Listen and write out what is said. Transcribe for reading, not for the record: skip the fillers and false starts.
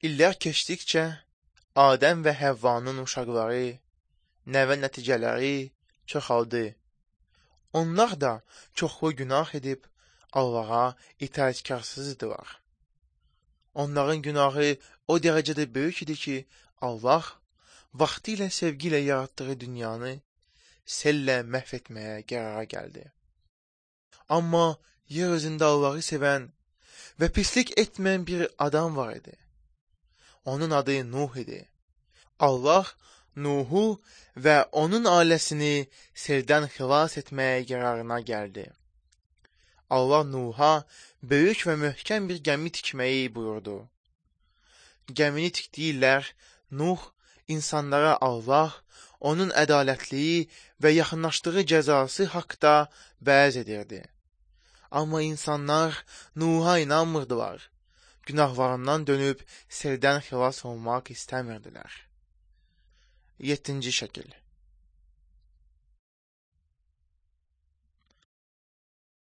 İllər keçdikcə Adəm və Həvvanın uşaqları, nəvə nəticələri çoxaldı. Onlar da çoxlu günah edib Allaha itaətkarsızdılar. Onların günahı o dərəcədə böyük idi ki, Allah vaxtilə sevgi ilə yaratdığı dünyanı sellə məhv etməyə qərara gəldi. Amma yer üzündə Allahı sevən və pislik etməyən bir adam var idi. Onun adı Nuh idi. Allah Nuhu və onun ailəsini seldən xilas etməyə qərarına gəldi. Allah Nuha böyük və möhkəm bir gəmi tikməyi buyurdu. Gəmini tikdiyilər, Nuh insanlara Allah, onun ədalətliyi və yaxınlaşdığı cəzası haqda vəz edirdi. Amma insanlar Nuha inanmırdılar. Günahlarından dönüb seldən xilas olmaq istəmirdilər. 7-ci şəkil.